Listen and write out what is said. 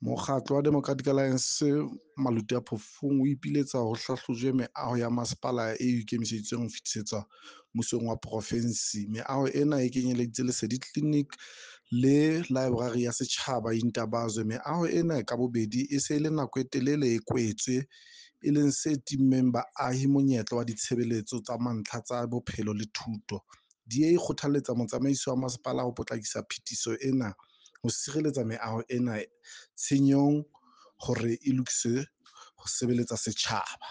Mokgatlo wa Democratic Alliance Maluti-a-Phofung o ipiletsa ho hlahlojwe meaho ya masepala e ikemiseditsweng ho fetisetswa mmusong wa profensi. Meaho ena e kenyeletsa Lesedi Clinic le Laeborari ya Setjhaba Intabazwe. Meaho ena ka bobedi e se e le nako e telele e kwetswe, e leng se timmeng baahi monyetla wa ditshebeletso tsa mantlha tsa bophelo le thuto. DA e kgothaletsa motsamaisi wa masepala ho potlakisa phetiso ena ho sireletsa meaho ena tshenyong hore e lokiswe ho sebeletsa setjhaba.